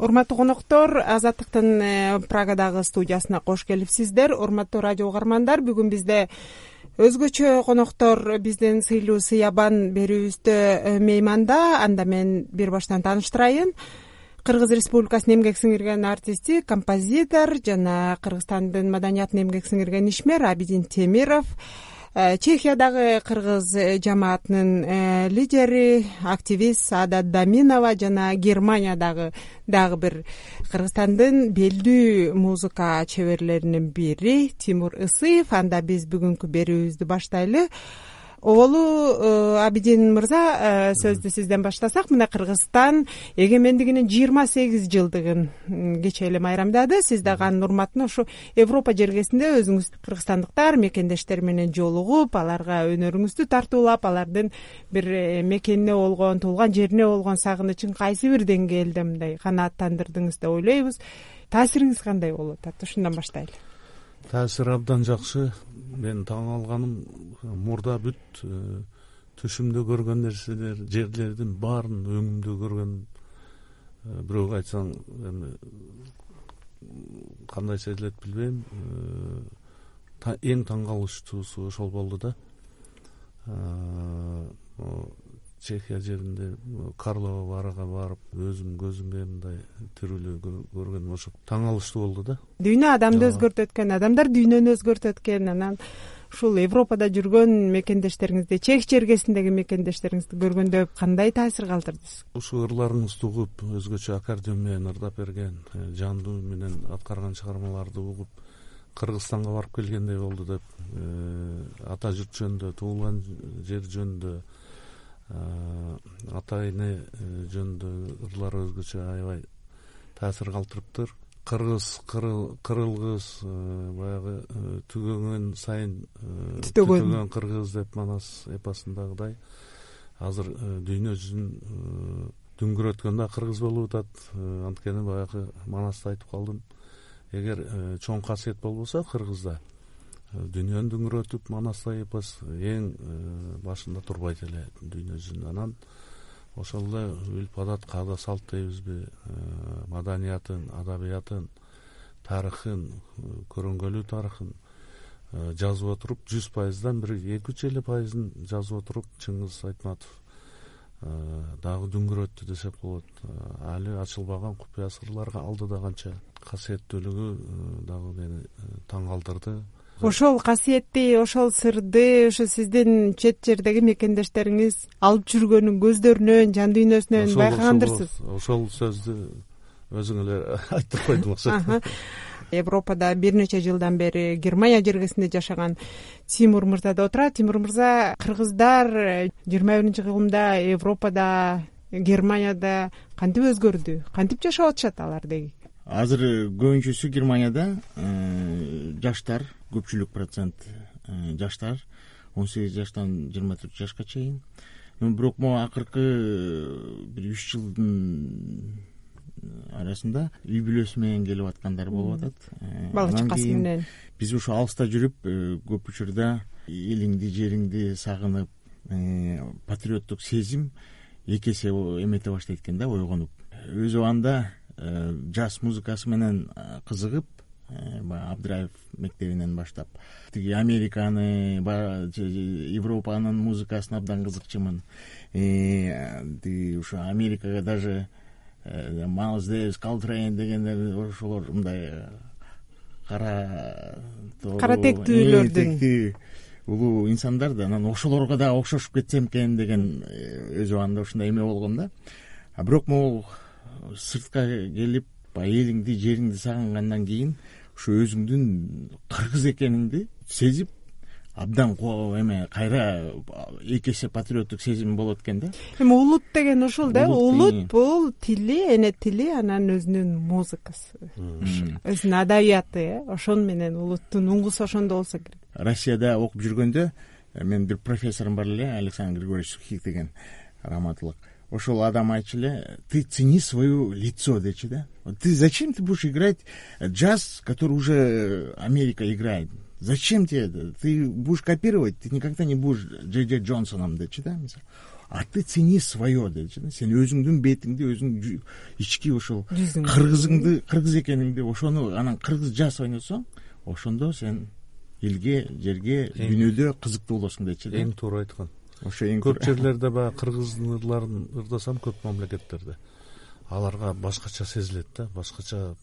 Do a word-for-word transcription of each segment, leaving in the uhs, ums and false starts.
урматтуу коноктор, Азаттыктын Прагадагы студиясына кош келипсиздер. Урматтуу радио угармандар, бүгүн бизде өзгөчө коноктор биздин сыйлуу сыябан берүүбүздө мейманда. Анда мен бир баштан тааныштырайын. Кыргыз Республикасынын эмгек сиңирген артисти, композитор жана Кыргызстандын маданиятына эмгек сиңирген ишмер Абидин Темиров, Чехиядагы кыргыз жамаатынын лидери, активист Саадат Даминова жана Германиядагы дагы бир Кыргызстандын белдүү музыка чеберлеринин бири Тимур Ысыев. Анда биз бүгүнкү берүүбүздү баштайлы. Оолу Абидин мырза, сөздү сизден баштасак, мына Кыргызстан эгемендигинин жыйырма сегиз жылдыгын кечээ эле майрамдады. Сиз дагы анын урматына ушу Европа жергесинде өзүңүз кыргызстандыктар мекендештер менен жолугуп, аларга өнөрүңүздү тартуулап, алардын бир мекенине болгон, туулган жерине болгон сагынычын кайсы бир деңгээлде мындай канааттандырдыңыз деп ойлойбуз. Таасириңиз кандай болот? Аты ушундан баштайлы. Таасир абдан жакшы. Мен таң алганым, мурда бүт түшүмдө көргөн нерселер, жерлердин баарын өңүмдө көргөн. Бирөөгө айтсаң, эми кандай сезилет билбейм. Эң таң калыштуусу ошол болду да. Чехия жеринде Карлова баарга барып, өзүм көзүмө мындай тирүүлүү көргөнүм ошо таң калыштуу болду да. Дүйнө адамды өзгөртөт экен, адамдар дүйнөнү өзгөртөт экен. Анан ушул Европада жүргөн мекендештериңизди, Чех жергесиндеги мекендештериңизди көргөндө кандай таасир калтырдыңыз? Ушу ырларыңызды угуп, өзгөчө аккордеон менен ырдап берген, жандуу менен аткарган чыгармаларды угуп, Кыргызстанга барып келгендей болду деп, ата журт жөнүндө, туулган жер жөнүндө, ата эне жөнүндө ырлар өзгөчө аябай таасир калтырыптыр. Кыргыз, кырылгыз, баягы түгөнгөн сайын түтөгөн кыргыз деп Манас эпосундагыдай азыр дүйнө жүзүн дүңгүрөткөн да кыргыз болуп атат. Анткени баягы Манасты айтып калдым. Эгер чоң касиет болбосо кыргызда, дүйнөнү дүңгүрөтүп Манастай эпос эң башында турбайт эле дүйнө жүзүнө. Анан ошол эле үлп адат, каада салт дейбизби, маданиятын, адабиятын, тарыхын, көрөнгөлүү тарыхын жазып отуруп, жүз пайыздан бир эки үч эле пайызын жазып отуруп, Чыңгыз Айтматов дагы дүңгүрөттү десек болот. Али ачылбаган купуя сырларга алдыда канча касиеттүүлүгү дагы мени таң калтырды. Ошол касиетти, ошол сырды ушу сиздин чет жердеги мекендештериңиз алып жүргөнүн көздөрүнөн, жан дүйнөсүнөн байкагандырсыз. Ошол сөздү өзүң эле айтып койдуңуз. Европада бир нече жылдан бери Германия жергесинде жашаган Тимур мырза да отурат. Тимур мырза, кыргыздар жыйырма биринчи кылымда Европада, Германияда кантип өзгөрдү? Кантип жашап атышат алар деги? Азыр көбүнчөсү Германияда жаштар, көпчүлүк процент жаштар, он сегиз жаштан жыйырма төрт жашка чейин. Бирок могу акыркы бир үч жылдын арасында үй бүлөсү менен келип аткандар болуп атат. Бала чакасы менен. Биз ушу алыста жүрүп, көп учурда элиңди, жериңди сагынып, патриоттук сезим эки эсе эмете баштайт экен да, ойгонуп. Өз убагында жаз музыкасы менен кызыгып, Абдыраев мектебинен баштап, тиги Американы, Европанын музыкасына абдан кызыкчумун. Тиги ушу Америкага даже Майлз Дэвис, Колтрейн дегендер, ошолор мындай кара кара тектүүлөрдүн улуу инсандар да, анан ошолорго да окшошуп кетсем экен деген өз убагында ушундай эме болгон да. А бирок могу сыртка келип, элиңди, жериңди сагынгандан кийин ушу өзүңдүн кыргыз экениңди сезип, абдан эме кайра эки эсе патриоттук сезим болот экен да. Эми улут деген ошол да, улут бул тили, эне тили, анан өзүнүн музыкасы, өзүнүн адабияты, ошон менен улуттун уңгусу ошондо болсо керек. Россияда окуп жүргөндө мен бир профессорум бар эле, Александр Григорьевич Сухих деген, рахматылык. Ошол адам айтчу эле, ты цени свое лицо, дечи да. Ты зачем ты будешь играть джаз, который уже Америка играет? Зачем тебе это? Ты будешь копировать, ты никогда не будешь Джей Джей Джонсоном, дечи да. а ты цени свое дечи, сен өзүңдүн бетиңди, өзүң ички ошол кыргызыңды, кыргыз экениңди, ошону анан кыргыз жаз ойносоң, ошондо сен элге, жерге, дүйнөдө кызыктуу болосуң дечи. Эң туура айткан. Ошо эң көп жерлерде баягы кыргыздын ырларын ырдасам, көп мамлекеттерде аларга башкача сезилет да, башкача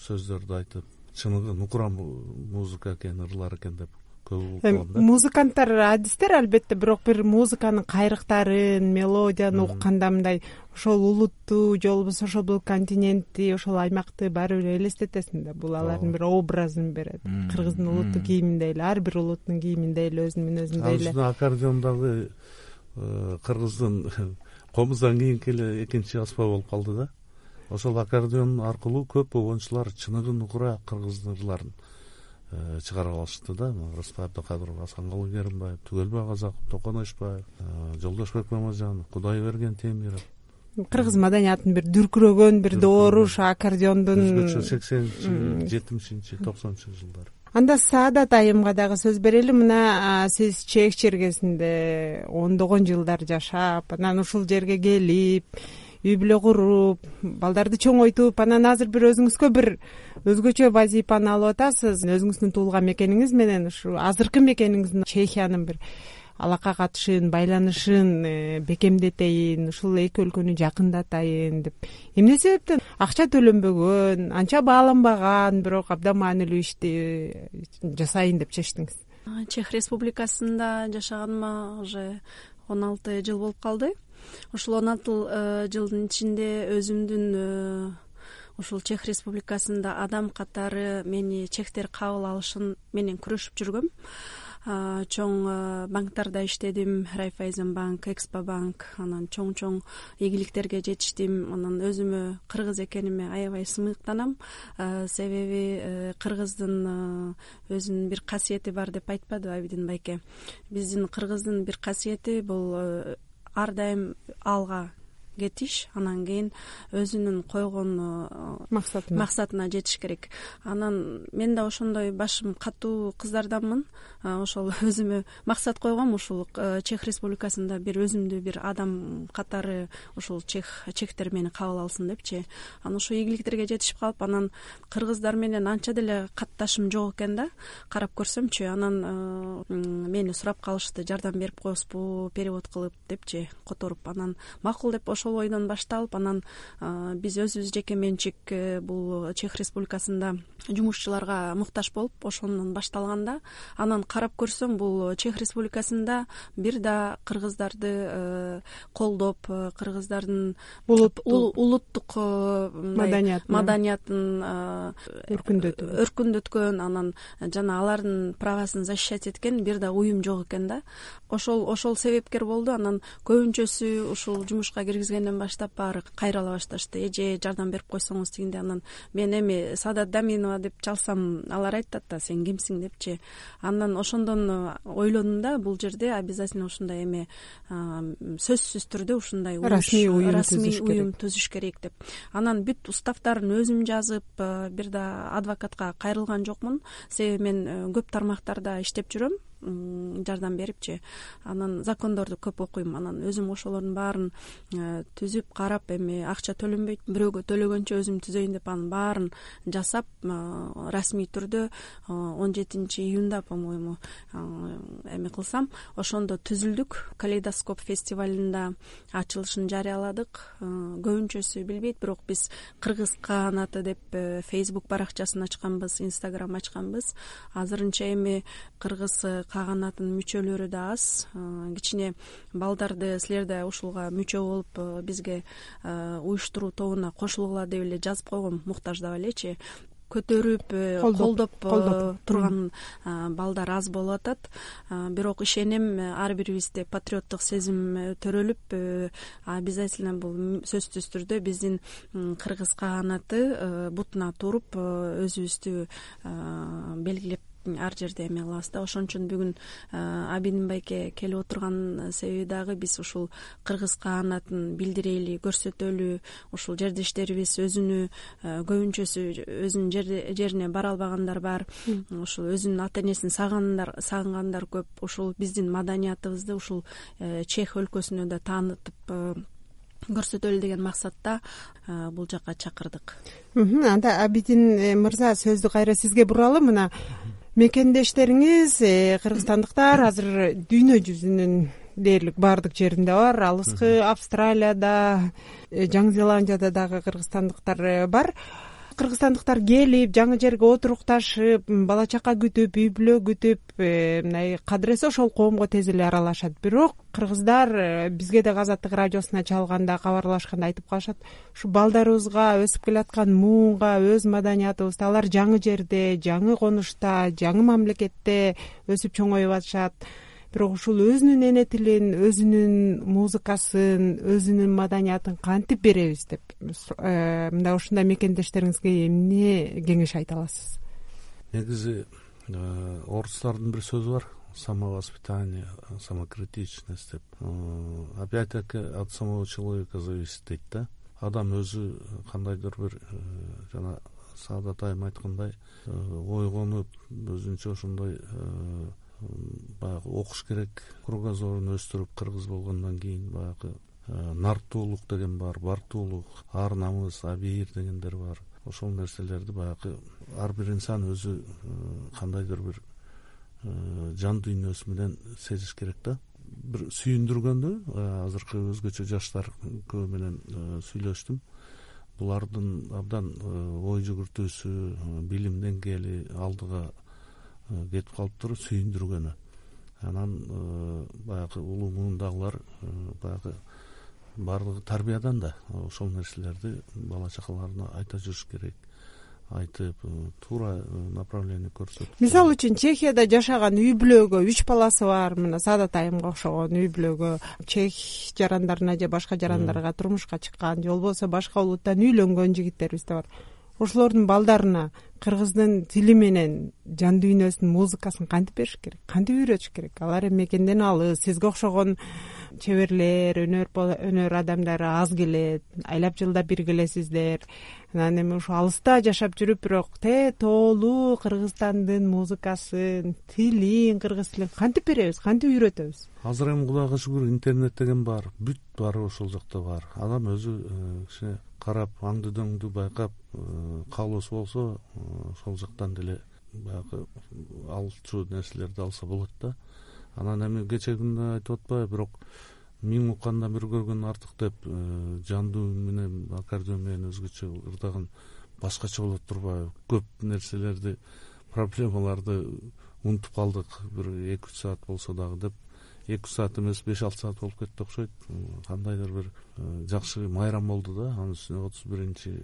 сөздөрдү айтып, чыныгы нукура музыка экен, ырлар экен деп көп угам да. Музыканттар адистер албетте, бирок бир музыканын кайрыктарын, мелодияны укканда мындай ошол улутту же болбосо ошол бул континентти, ошол аймакты баары бир элестетесиң да. Бул алардын бир образын берет. Кыргыздын улуттук кийиминде эле, ар бир улуттун кийиминде эле, өзүнүн мүнөзүндө эле. Ал аккордеондагы кыргыздын комуздан кийинки эле экинчи аспап болуп калды да. Ошол аккордеон аркылуу көп обончулар чыныгы нукура кыргыздын ырларын чыгарып алышты да. Рыспай Абдыкадыров, Асанкалы Керимбаев, Түгөлбай Казаков, Токон Ошбаев, Жолдошбек Мамажанов, Кудайберген Темиров. Кыргыз маданиятын бир дүркүрөгөн, бир дооруш аккордеондун өзгөчө сексенинчи, жетимишинчи, токсонунчу жылдары. Анда Саадат айымга дагы сөз берели. Мына сиз Чех чергесинде ондогон жылдар жашап, анан ушул жерге келип, үй бүлө куруп, балдарды чоңойтуп, анан азыр бир өзүңүзгө бир өзгөчө вазифаны алып атасыз. Өзүңүздүн туулган мекениңиз менен ушу азыркы мекениңиздин Чехиянын бир алака катышын, байланышын бекемдетейин, ушул эки өлкөнү жакындатайын деп. Эмне себептен акча төлөнбөгөн, анча бааланбаган, бирок абдан маанилүү ишти жасайын деп чечтиңиз? Чех Республикасында жашаганыма уже он алты жыл болуп калды. Ушул он алты жылдын ичинде өзүмдүн ушул Чех Республикасында адам катары мени чехтер кабыл алышын менен күрөшүп жүргөм. Чоң банктарда иштедим, Райфайзен банк, Экспо банк, анан чоң-чоң ийгиликтерге жетиштим. Анан өзүмө кыргыз экениме аябай сымыктанам. Себеби кыргыздын өзүнүн бир касиети бар деп айтпадыбы Абидин байке? Биздин кыргыздын бир касиети бул ар дайым алга кетиш, анан кийин өзүнүн койгон максатына максатына жетиш керек. Анан мен да ошондой башым катуу кыздарданмын. Ошол өзүмө максат койгом, ушул Чех Республикасында бир өзүмдү бир адам катары ушул чех чехтер мени кабыл алсын депчи. Анан ошо ийгиликтерге жетишип калып, анан кыргыздар менен анча деле катташым жок экен да. Карап көрсөмчү, анан мени сурап калышты, жардам берип коесузбу перевод кылып депчи, которуп. Анан макул деп ошол ойдон башталып, анан биз өзүбүз жеке менчик бул Чех Республикасында жумушчуларга муктаж болуп, ошондон башталганда, анан карап көрсөм, бул Чех Республикасында бир да кыргыздарды колдоп, кыргыздардын улуттук маданиятын өркүндөткөн, анан жана алардын правасын защищать эткен бир да уюм жок экен да. Ошол ошол себепкер болду. Анан көбүнчөсү ушул жумушка киргизгенден баштап баары кайрала башташты. Эже жардам берип койсоңуз дегенде, анан мен эми Саадат Даминова деп чалсам, алар айтат да, сен кимсиң депчи. Анан ошондон ойлонум да, бул жерде обязательно ушундай эме сөзсүз түрдө ушундай расмий уюм түзүш керек деп. Анан бүт уставтарын өзүм жазып, бир да адвокатка кайрылган жокмун. Себеби мен көп тармактарда иштеп жүрөм, жардам берипчи. Анан закондорду көп окуйм. Анан өзүм ошолордун баарын түзүп карап, эми акча төлөнбөйт, бирөөгө төлөгөнчө өзүм түзөйүн деп анын баарын жасап, расмий түрдө он жетинчи июнда, по-моему, эми кылсам, ошондо түзүлдүк. Калейдоскоп фестивалында ачылышын жарыяладык. Көбүнчөсү билбейт, бирок биз Кыргыз каганаты деп Facebook баракчасын ачканбыз, Instagram ачканбыз. Азырынча эми Кыргыз каганатынын мүчөлөрү да аз. Кичине балдарды силер да ушулга мүчө болуп бизге уюштуруу тобуна кошулгула деп эле жазып койгом, муктаждап элечи. Көтөрүп, колдоп турган балдар аз болуп атат. Бирок ишенем, ар бирибизде патриоттук сезим төрөлүп, обязательно бул сөзсүз түрдө биздин кыргыз каганаты бутуна туруп, өзүбүздү белгилеп ар жерде эме кылабыз да. Ошон үчүн бүгүн Абидин байке келип отурган себеби дагы биз ушул кыргыз каанатын билдирели, көрсөтөлү, ушул жердештерибиз өзүнү көбүнчөсү өзүнүн жерине бара албагандар бар, ушул өзүнүн ата энесин сагынгандар сагынгандар көп. Ушул биздин маданиятыбызды ушул Чех өлкөсүнө да таанытып көрсөтөлү деген максатта бул жака чакырдык. Анда Абидин мырза, сөздү кайра сизге буралы. Мына мекендештериңиз кыргызстандыктар азыр дүйнө жүзүнүн дээрлик баардык жеринде бар. Алыскы Австралияда, Жаңы Зеландияда дагы кыргызстандыктар бар. Кыргызстандыктар келип, жаңы жерге отурукташып, бала чака күтүп, үй бүлө күтүп, мындай кадыресе ошол коомго тез эле аралашат. Бирок кыргыздар бизге да Азаттык радиосуна чалганда, кабарлашканда айтып калышат, ушу балдарыбызга, өсүп келаткан муунга, өз маданиятыбызды алар жаңы жерде, жаңы конушта, жаңы мамлекетте өсүп чоңоюп атышат. Бирок ушул өзүнүн эне тилин, өзүнүн музыкасын, өзүнүн маданиятын кантип беребиз деп, мындай ушундай мекендештериңизге эмне кеңеш айта аласыз? Негизи орустардын бир сөзү бар: самовоспитание, самокритичность деп. Опять-таки от самого человека зависит дейт да. Адам өзү кандайдыр бир жана Саадат айым айткандай ойгонуп, өзүнчө ошондой баягы окуш керек, кругозорун өстүрүп, кыргыз болгондон кийин баягы нартуулук деген бар, бартуулук, ар намыс, абийир дегендер бар. Ошол нерселерди баягы ар бир инсан өзү кандайдыр бир жан дүйнөсү менен сезиш керек да. Бир сүйүндүргөндү азыркы өзгөчө жаштар көбү менен сүйлөштүм. Булардын абдан ой жүгүртүүсү, билим деңгээли алдыга кетип калыптыр, сүйүндүргөнү. Анан баягы улуу муундагылар баягы баардыгы тарбиядан да ошол нерселерди бала чакаларына айта жүрүш керек. Айтып, туура направление көрсөтүп. Мисалы үчүн Чехияда жашаган үй бүлөгө, үч баласы бар, мына Саадат айымга окшогон үй бүлөгө, чех жарандарына же башка жарандарга турмушка чыккан, же болбосо башка улуттан үйлөнгөн жигиттерибиз да бар. Ошолордун балдарына кыргыздын тили менен жан дүйнөсүнүн музыкасын кантип бериш керек, кантип үйрөтүш керек? Алар эми мекенден алыс, сизге окшогон чеберлер, өнөр өнөр адамдары аз келет, айлап жылда бир келесиздер. Анан эми ушу алыста жашап жүрүп, бирок те тоолуу Кыргызстандын музыкасын, тилин, кыргыз тилин кантип беребиз, кантип үйрөтөбүз? Азыр эми Кудайга шүгүр, интернет деген бар, бүт баары ошол жакта бар. Адам өзү кичине карап, аңды дөңдү байкап, каалоосу болсо ошол жактан деле баягы алчу нерселерди алса болот да. Анан эми кече күндө айтып атпайбы, бирок миң уккандан бир көргөн артык деп, жандуу менен, аккордеон менен өзгөчө ырдаган башкача болот турбайбы? Көп нерселерди, проблемаларды унутуп калдык, бир эки үч саат болсо дагы деп. эки үч саат эмес, беш алты саат болуп кетти окшойт. Кандайдыр бир жакшы майрам болду да. Анын үстүнө отуз биринчи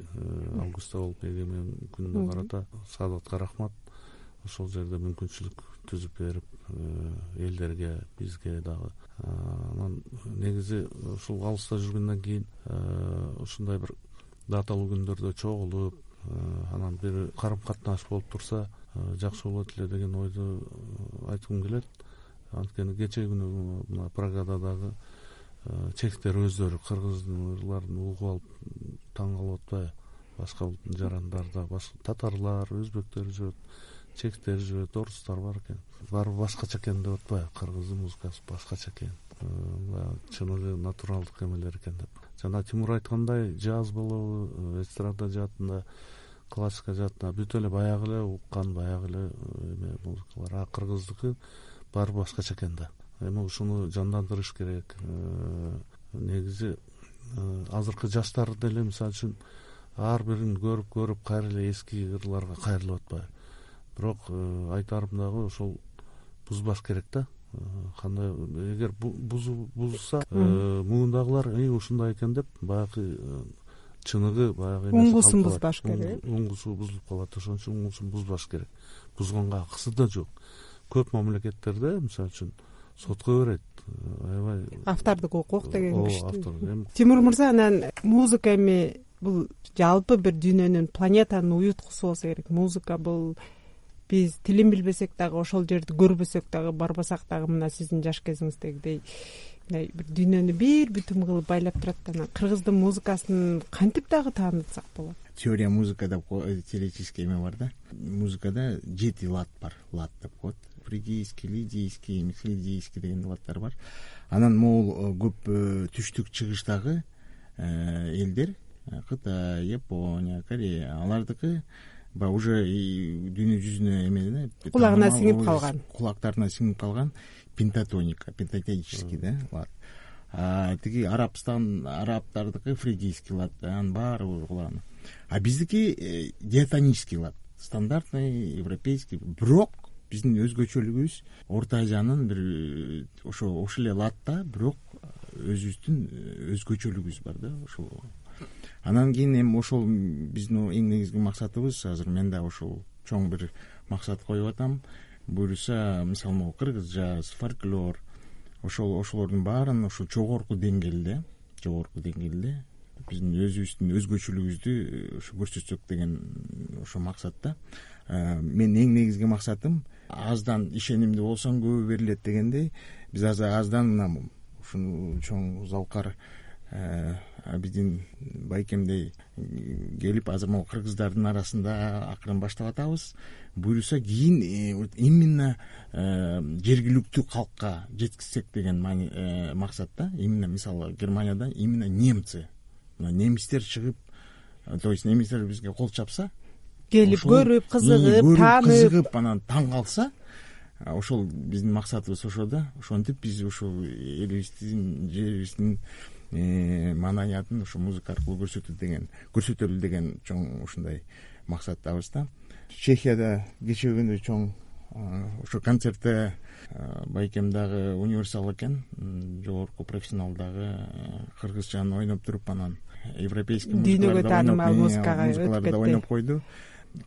августта болуп, эгемен күнүнө карата Саадатка рахмат. Ошол жерде мүмкүнчүлүк түзүп берип, элдерге, бизге дагы. Анан негизи ушул алыста жүргөндөн кийин ушундай бир даталуу күндөрдө чогулуп, анан бир карым катнаш болуп турса жакшы болот эле деген ойду айткым келет. Анткени кече күнү мына Прагада дагы чехтер өздөрү кыргыздарларын угуп алып таң калып атпайбы? Башка улуттун жарандарда татарлар, өзбектер жүрөт, чехтер жүрөт, орустар бар экен. Баары башкача экен деп атпайбы? Кыргыздын музыкасы башкача экен, чыныгы натуралдык эмелер экен деп. Жана Тимур айткандай, джаз болобу, эстрада жаатында, классика жаатында бүт эле баягы эле уккан, баягы эле эме музыкалар. А кыргыздыкы баары башкача экен да. Эми ушуну жандандырыш керек. Негизи азыркы жаштар деле мисалы үчүн ар бирин көрүп көрүп кайра эле эски ырларга кайрылып атпайбы? Бирок айтарым дагы ошол бузбаш керек да. Кандай эгер бузулса, муундагылар ушундай экен деп баягы чыныгы баягы уңгусун бузбаш керек. Уңгусу бузулуп калат, ошон үчүн уңгусун бузбаш керек. Бузганга акысы да жок. Көп мамлекеттерде мисалы үчүн сотко берет, аябай автордук укук деген киши. Тимур мырза, анан музыка эми бул жалпы бир дүйнөнүн, планетанын уюткусу болсо керек. Музыка бул биз тилин билбесек дагы, ошол жерди көрбөсөк дагы, барбасак дагы мына сиздин жаш кезиңиздегидей мындай бир дүйнөнү бир бүтүн кылып байлап турат да, анан кыргыздын музыкасын кантип дагы таанытсак болот? Теория музыка деп теоретический эме бар да. Музыкада жети лад бар. Лад деп коет. Фригийский, лидийский, михлидийский деген ладдар бар. Анан могул көп түштүк чыгыштагы элдер, Кытай, Япония, Корея, алардыкы баягы уже дүйнө жүзүнө эме кулагына сиңип калган, кулактарына сиңип калган пентатоника, пентатонический да лад. А тиги Арабстан, арабтардыкы фригийский лад, анын баары кулагына. А биздики диатонический лад, стандартный, европейский. Бирок биздин өзгөчөлүгүбүз Орто Азиянын бир ошо ошол эле ладда, бирок өзүбүздүн өзгөчөлүгүбүз бар да ошол. Анан кийин эми ошол биздин эң негизги максатыбыз, азыр мен да ошол чоң бир максат коюп атам. Буюрса, мисалы могу кыргыз жаз, фольклор, ошол ошолордун баарын ошо жогорку деңгээлде, жогорку деңгээлде биздин өзүбүздүн өзгөчөлүгүбүздү ошо көрсөтсөк деген ошо максатта. Мен эң негизги максатым аздан ишенимдүү болсоң көбү берилет дегендей, биз азыр аздан мына ушуну чоң залкар Абидин Байкемдей келип азыр могу кыргыздардын арасында акырын баштап атабыз. Буюрса кийин именно жергиликтүү калкка жеткизсек деген максатта. Именно мисалы Германияда именно немцы, немистер чыгып, то есть немистер бизге кол чапса, келип көрүп, кызыгып, таанып, кызыгып, анан таң калса, ошол биздин максатыбыз ошо да. Ошентип биз ушул элибиздин, жерибиздин маданиятын ушу музыка аркылуу көрсөтө деген, көрсөтөлү деген чоң ушундай максаттабыз да. Чехияда кечээ күнү чоң ошо концертте Байкемдагы универсал экен, жогорку профессионалдагы кыргызчаны ойноп туруп, анан европейский дүйнөгө таанымал музыкага өтүп кетти, ойноп койду.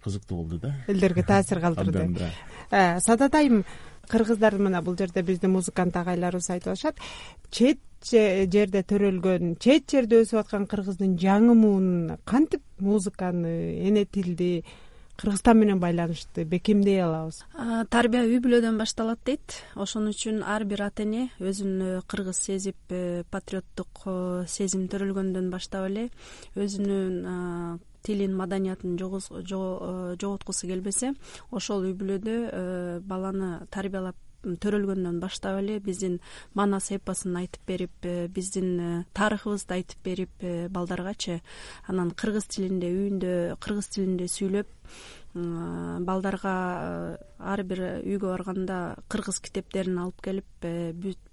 Кызыктуу болду да. Элдерге таасир калтырды. Садат айым, кыргыздар мына бул жерде биздин музыкант агайларыбыз айтып атышат, чет жерде төрөлгөн, чет жерде өсүп аткан кыргыздын жаңы муун кантип музыканы, эне тилди, Кыргызстан менен байланышты бекемдей алабыз? Тарбия үй бүлөдөн башталат дейт. Ошон үчүн ар бир ата эне өзүн кыргыз сезип, патриоттук сезим төрөлгөндөн баштап эле өзүнүн тилин, маданиятын жоготкусу келбесе, ошол үй бүлөдө баланы тарбиялап төрөлгөндөн баштап эле биздин манас эпосун айтып берип, биздин тарыхыбызды айтып берип балдаргачы, анан кыргыз тилинде үйүндө кыргыз тилинде сүйлөп, балдарга ар бир үйгө барганда кыргыз китептерин алып келип,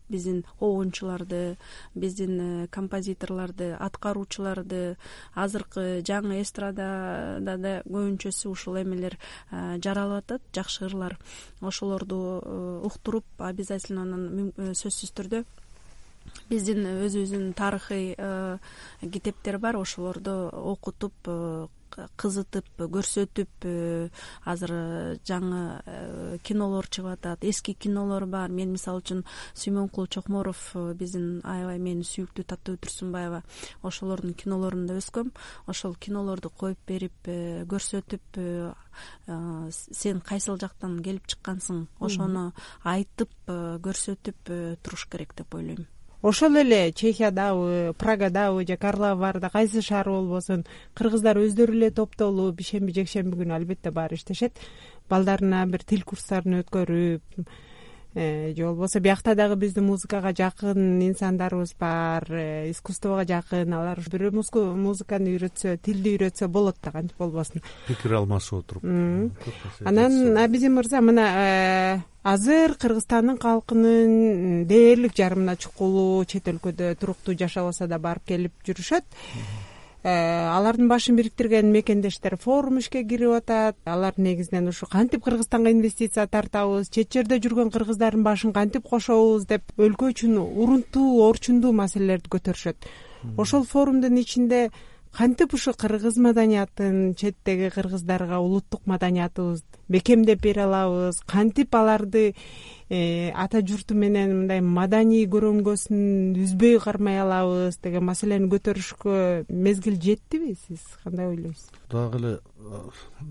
биздин оончуларды, биздин композиторлорду, аткаруучуларды, азыркы жаңы эстрадада да көбүнчөсү ушул эмелер жаралып атат, жакшы ырлар. Ошолорду уктуруп, обязательно анан сөзсүз түрдө биздин өзүбүздүн тарыхый китептер бар, ошолорду окутуп, кызытып, көрсөтүп, азыр жаңы кинолор чыгып атат, эски кинолор бар. Мен мисалы үчүн Сүймөнкул Чокморов, биздин аябай менин сүйүктүү Таттыбү Турсунбаева, ошолордун кинолорунда өскөм. Ошол кинолорду коюп берип, көрсөтүп, сен кайсыл жактан келип чыккансың, ошону айтып, көрсөтүп туруш керек деп ойлойм. Ошол эле Чехиядабы, Прагадабы же Карловарда кайсы шаар болбосун, кыргыздар өздөрү эле топтолуп бишемби жекшемби күнү албетте баары иштешет. Балдарына бир тил курстарын өткөрүп, же болбосо биякта дагы биздин музыкага жакын инсандарыбыз бар, искусствого жакын, алар бир музыканы үйрөтсө, тилди үйрөтсө болот да, кантип болбосун. Пикир алмашып отуруп. Анан Абидин мырза, мына азыр Кыргызстандын калкынын дээрлик жарымына чукулу чет өлкөдө туруктуу жашабаса да барып келип жүрүшөт. Алардын башын бириктирген мекендештер форум ишке кирип атат. Алар негизинен ушу кантип Кыргызстанга инвестиция тартабыз, чет жерде жүргөн кыргыздардын башын кантип кошобуз деп өлкө үчүн урунтуу, орчундуу маселелерди көтөрүшөт. Ошол форумдун ичинде кантип ушу кыргыз маданиятын, четтеги кыргыздарга улуттук маданиятыбызды бекемдеп бере алабыз, кантип аларды ата журту менен мындай маданий көрөнгөсүн үзбөй кармай алабыз деген маселени көтөрүшкө мезгил жеттиби? Сиз кандай ойлойсуз? Дагы эле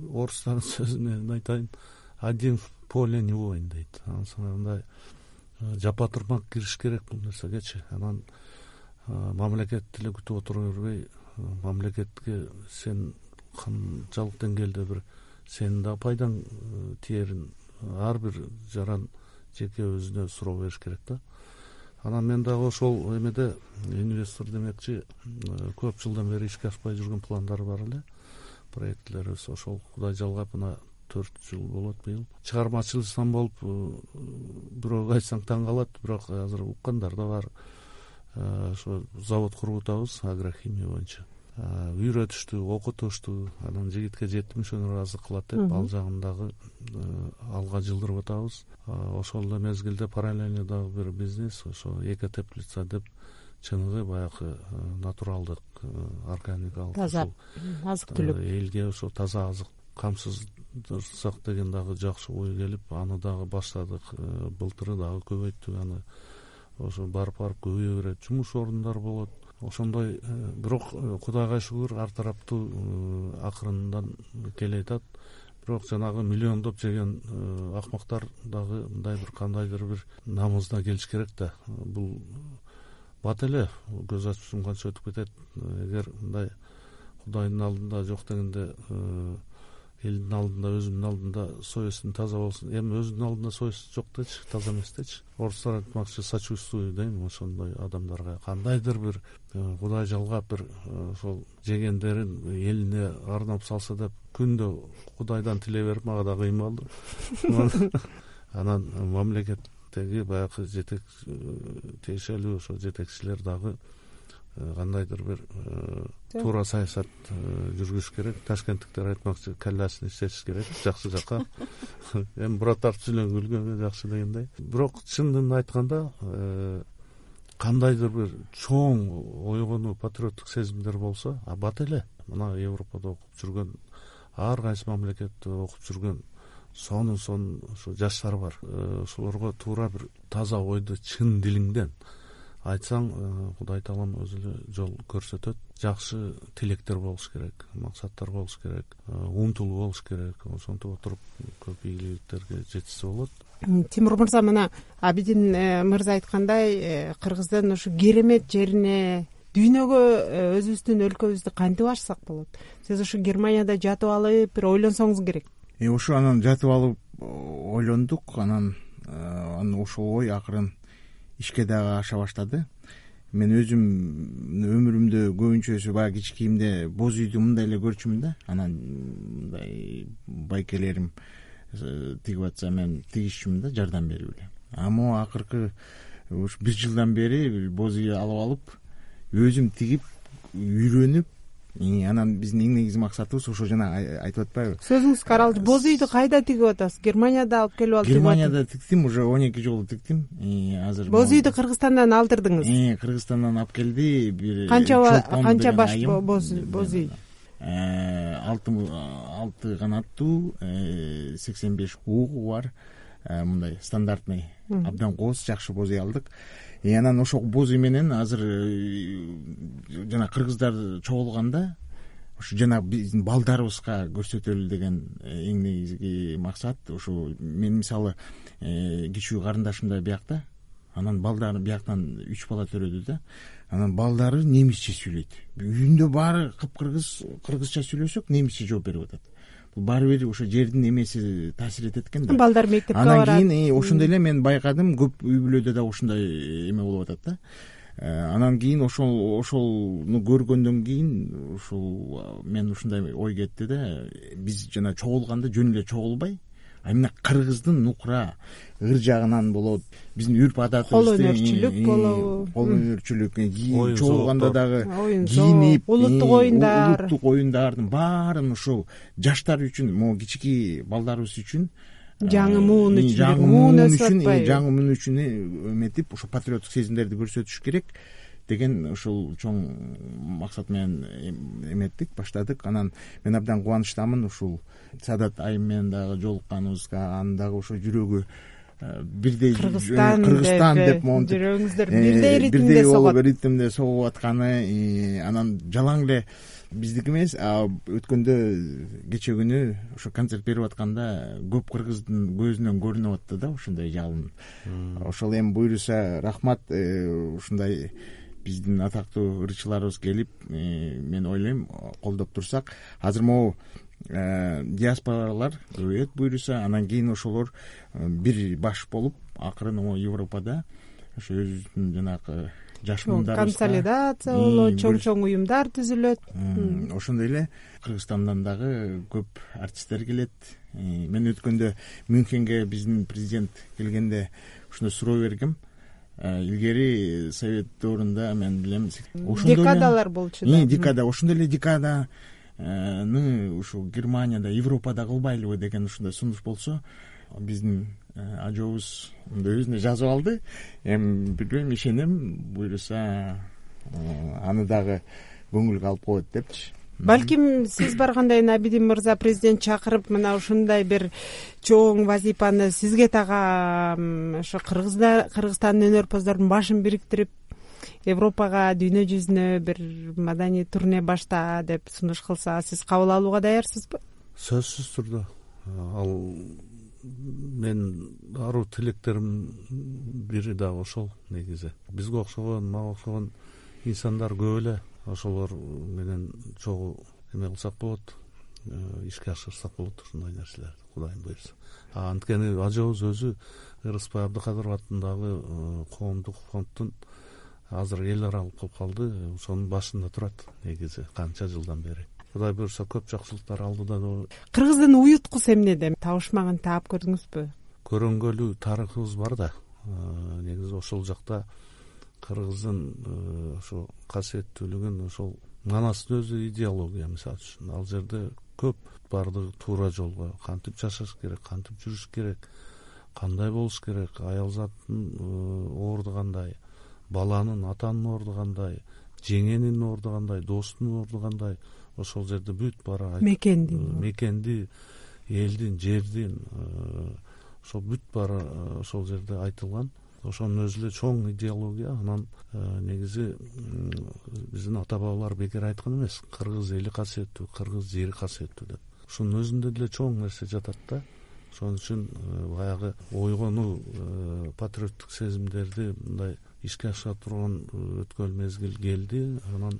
орустардын сөзүнөн айтайын, один в поле не воин дейт. Мындай жапа турмак кириш керек бул нерсегечи. Анан мамлекет деле күтүп отура бербей, мамлекетке сен канчалык деңгээлде бир сенин да пайдаң тиерин ар бир жаран жеке өзүнө суроо бериш керек да. Анан мен дагы ошол эмеде инвестор демекчи көп жылдан бери ишке ашпай жүргөн пландар бар эле, проектлерибиз. Ошол Кудай жалгап мына төрт жыл болот быйыл. Чыгармачылыктан болуп бирөөгө айтсаң таң калат, бирок азыр уккандар да бар. Ошо завод куруп атабыз агрохимия боюнча. Үйрөтүштү, окутушту, анан жигитке жети мүшөнөр азык кылат деп ал жагын дагы алга жылдырып атабыз. Ошол эле мезгилде параллельно дагы бир бизнес, ошо эко теплица деп чыныгы баягы натуралдык, органикалык таза азык түлүк, элге ошо таза азык камсыздырсак деген дагы жакшы ой келип, аны дагы баштадык. Былтыры дагы көбөйттүк аны. Ошо барып барып көбөйө берет, жумуш орундар болот. Ошондой, бирок Кудайга шүгүр ар тараптуу акырындан келе атат. Бирок жанагы миллиондоп жеген акмактар дагы мындай бир кандайдыр бир намызда келиш керек да. Бул бат эле көз ачып сумганча өтүп кетет. Эгер мындай Кудайдын алдында жок дегенде элдин алдында, өзүнүн алдында совестин таза болсун. Эми өзүнүн алдында совест жок дечи, таза эмес дечи. Орустар айтмакчы, сочувствую дейм ошондой адамдарга. Кандайдыр бир Кудай жалгап бир ошол жегендерин элине арнап салса деп күндө Кудайдан тилей берип, мага да кыймалды. Анан мамлекеттеги баягы жетек тиешелүү ошо жетекчилер дагы кандайдыр бир туура саясат жүргүзүш керек. Ташкенттиктер айтмакчы, каллясын иштетиш керек жакшы жакка. Эми бура тартып сүйлөнгөнгө жакшы дегендей. Бирок чынын айтканда кандайдыр бир чоң ойгонуу, патриоттук сезимдер болсо, бат эле. Мына Европада окуп жүргөн, ар кайсы мамлекетте окуп жүргөн сонун сонун ошо жаштар бар. Ошолорго туура бир таза ойду чын дилиңден айтсаң, Кудай таалам өзү эле жол көрсөтөт. Жакшы тилектер болуш керек, максаттар болуш керек, умтулуу болуш керек. Ошентип отуруп көп ийгиликтерге жетишсе болот. Тимур мырза, мына Абидин мырза айткандай, Кыргыздын ушу керемет жерине, дүйнөгө өзүбүздүн өлкөбүздү кантип ачсак болот? Сиз ушу Германияда жатып алып бир ойлонсоңуз керек. Э ушу анан жатып алып ойлондук, анан анан ошол ой акырын ишке дагы аша баштады. Мен өзүм өмүрүмдө көбүнчөсү баягы кичикейимде боз үйдү мындай эле көрчүмүн да. Анан мындай байкелерим тигип атса мен тигишчүмүн да, жардам берип эле. А могу акыркы ушу бир жылдан бери боз үй алып алып, өзүм тигип, үйрөнүп, анан биздин эң негизги максатыбыз ошо жана айтып атпайбы? Сөзүңүз каралды. Боз үйдү кайда тигип атасыз? Германияда алып келип алып? Германияда тиктим, уже он эки жолу тиктим. Азыр боз үйдү Кыргызстандан алдырдыңыз? Э, Кыргызстандан алып келди. Бир канча канча баш боз боз үй? алты алты канаттуу, сексен беш угу бар. Мындай стандартный, абдан кооз, жакшы боз үй алдык. И анан ошол боз үй менен азыр жана кыргыздар чогулганда ушу жана биздин балдарыбызга көрсөтөлү деген эң негизги максат. Ушу мен мисалы кичүү карындашым да биякта, анан балдары бияктан үч бала төрөдү да. Анан балдары немисче сүйлөйт. Үйүндө баары кыпкыргыз, кыргызча сүйлөсөк немисче жооп берип атат. Бул баары бир ошо жердин эмеси таасир этет экен да. Балдар мектепке барат. Анан кийин ошондой эле мен байкадым, көп үй бүлөдө да ошондой эме болуп атат да. Анан кийин ошол ошолну көргөндөн кийин ушул мен ушундай ой кетти да, биз жана чогулганда жөн эле чогулбай, а именно кыргыздын нукура ыр жагынан болот, биздин үрп адатыбызды, кол өнөрчүлүк болобу, кол өнөрчүлүк, чогулганда дагы кийинип, улуттук оюндар, улуттук оюндардын баарын ушул жаштар үчүн, могу кичики балдарыбыз үчүн, жаңы муун үчүн, жаңы муун үчүн, жаңы муун үчүн эметип, ошо патриоттук сезимдерди көрсөтүш керек деген ушул чоң максат менен эметтик, баштадык. Анан мен абдан кубанычтамын ушул Садат айым менен дагы жолукканыбызга, анын дагы ошо жүрөгү бирдей Кыргызстан Кыргызстан деп монтип жүрөгүңүздөр бирдей ритмде бирдей согот, болуп ритмде согуп атканы, анан жалаң эле биздики эмес. Өткөндө кече күнү ошо концерт берип атканда көп кыргыздын көзүнөн көрүнүп атты да ушундай жалын. Ошол эми буюрса рахмат, ушундай биздин атактуу ырчыларыбыз келип, мен ойлойм колдоп турсак, азыр могу диаспоралар көбөйөт буюрса, анан кийин ошолор бир баш болуп акырын могу Европада ошо өзүбүздүн жанагы жаш муундарыбызга консолидация болот, чоң-чоң уюмдар түзүлөт. Ошондой эле Кыргызстандан дагы көп артисттер келет. Мен өткөндө Мюнхенге биздин президент келгенде ушуну суроо бергем. Илгери совет доорунда мен билем декадалар болчу да. Декада, ошондой эле декаданы ушу Германияда, Европада кылбайлыбы деген ушундай сунуш болсо, биздин ажообуз өзүнө жазып алды. Эми билбейм, ишенем, буюрса аны дагы көңүлгө алып коет депчи. Балким сиз барганда Абидин мырза президент чакырып, мына ушундай бир чоң вазифаны сизге тагам, ошо Кыргызстандын өнөрпоздордун башын бириктирип Европага, дүйнө жүзүнө бир маданий турне башта деп сунуш кылса, сиз кабыл алууга даярсызбы? Сөзсүз түрдө. Ал мен аруу тилектерим бири да ошол негизи. Бизге окшогон, мага окшогон инсандар көп эле, ошолор менен чогуу эме кылсак болот, ишке ашырсак болот ушундай нерселерди, Кудайым буйрса. Анткени ажообуз өзү Ырыспай Абдыкадыров атындагы коомдук фонддун азыр эл аралык болуп калды, ошонун башында турат негизи канча жылдан бери. Кудай буйрса көп жакшылыктар алдыда. Кыргыздын уюткусу эмнеде? Табышмагын таап көрдүңүзбү? Көрөнгөлүү тарыхыбыз бар да. Негизи ошол жакта кыргыздын ошо касиеттүүлүгүн, ошол манастын өзү идеология, мисалы үчүн. Ал жерде көп бардыгы туура жолго кантип жашаш керек, кантип жүрүш керек, кандай болуш керек, аял заттын орду кандай, баланын, атанын орду кандай, жеңенин орду кандай, достун орду кандай, ошол жерде бүт бара мекендин, мекенди, элдин, жердин, ошол бүт бара ошол жерде айтылган. Ошонун өзү эле чоң идеология. Анан негизи биздин ата бабалар бекер айткан эмес, кыргыз эли касиеттүү, кыргыз жери касиеттүү деп. Ушунун өзүндө деле чоң нерсе жатат да. Ошон үчүн баягы ойгонуу, патриоттук сезимдерди мындай ишке ашыра турган өткөн мезгил келди. Анан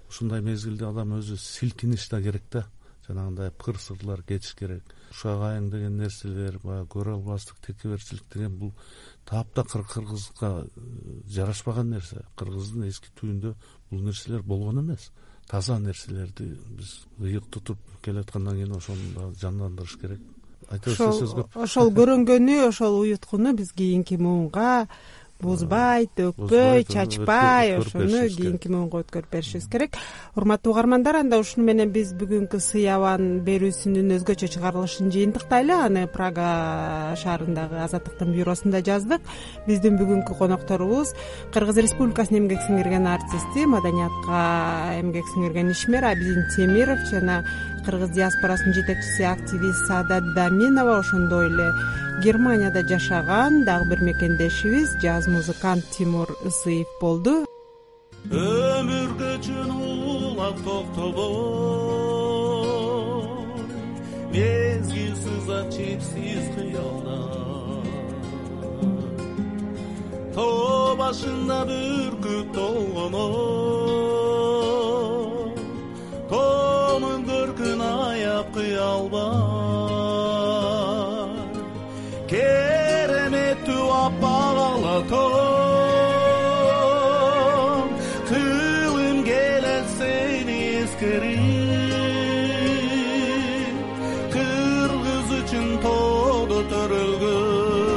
ушундай мезгилде адам өзү силкиниш да керек да. Жанагындай кыр сырлар кетиш керек. Ушак айың деген нерселер, баягы көрө албастык, текеберчилик деген бул таапта кыргызга жарашпаган нерсе. Кыргыздын эски түйүндө бул нерселер болгон эмес. Таза нерселерди биз ыйык тутуп келаткандан кийин ошону жандандырыш керек. Айтышса сөз көп. Ошол көрөнгөнү, ошол уюткуну биз кийинки муунга бузбай, төкпөй, чачпай, ошону кийинки муунга өткөрүп беришибиз керек. Урматтуу угармандар, анда ушуну менен биз бүгүнкү сый абан берүүсүнүн өзгөчө чыгарылышын жыйынтыктайлы. Аны Прага шаарындагы Азаттыктын бюросунда жаздык. Биздин бүгүнкү конокторубуз Кыргыз Республикасынын эмгек сиңирген артисти, маданиятка эмгек сиңирген ишмер Абидин Темиров жана кыргыз диаспорасынын жетекчиси, активист Саадат Даминова, ошондой эле Германияда жашаган дагы бир мекендешибиз, жаз музыкант Тимур Ысыев болду. Өмүргө чын улап токтобой, мезгил сызат чексиз кыялдан. Тоо башында бүркүп толгоно, тоонун көркүн аяп кыя албай. Кереметтүү аппак ала тоом, кылым келет сени эскерип. Кыргыз үчүн тоодо төрөлгөн,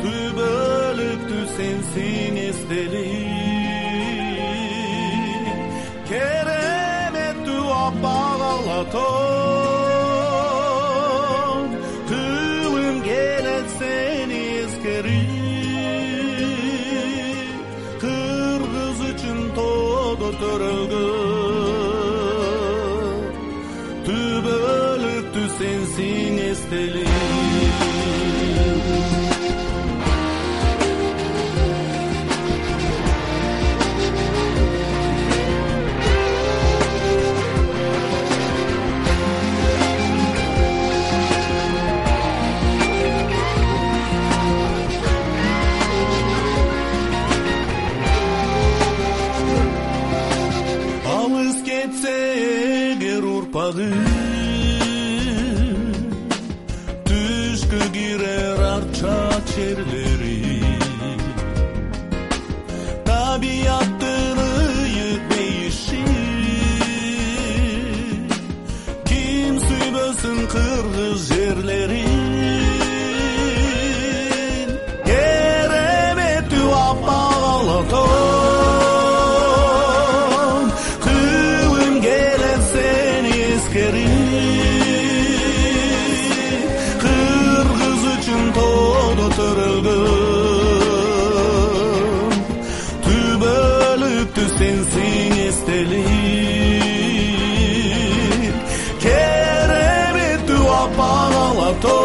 түбөлүктүү сенсиң эстелип. Кереметтүү аппак ала тоом, кылым келет сени эскерип. Кыргыз үчүн тоодо төрөлгөн, түбөлүктүү сенсиң эстелип. аппагы түшкө кирер арча черлери табияттын ыйык бейиши ким сүйбөсүн кыргыз жерлерин кереметтүү аппак алатон кылым келет сени эскерип кыргыз үчүн тоодо төрөлгөн түбөлүктүү сенсиң эстелик кереметтүү аппак алатон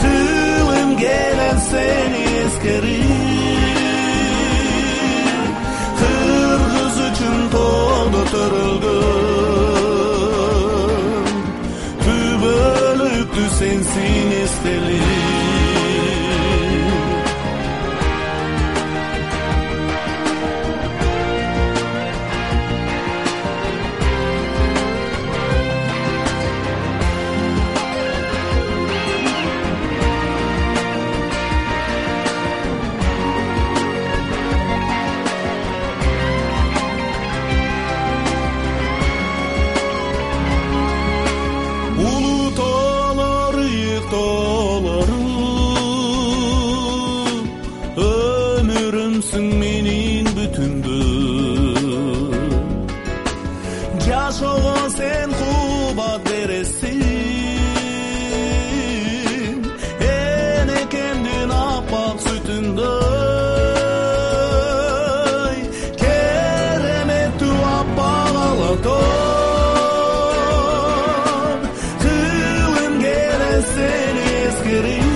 кылым келет сени эскерип кыргыз үчүн тоодо төрөлгөн түбөлүктүү сенсиң эстелик өмүрүмсүң менин бүтүндү жашоого сен кубат бересиң энекемдин аппак сүтүндөй кереметтүү аппак алатон кылым келет сени эскерип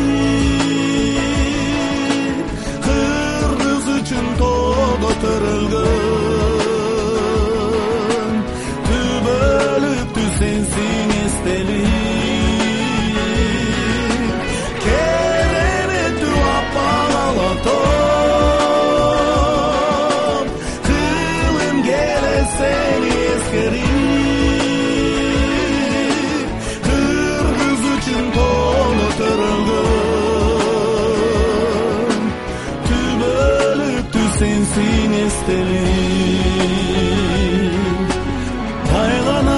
тоодо төрөлгөн түбөлүктүү сенсиң эстелик кереметтүү аппак алатон кылым келет сени эскерип кыргыз үчүн тоодо төрөлгөн сенсиң эстелик тайган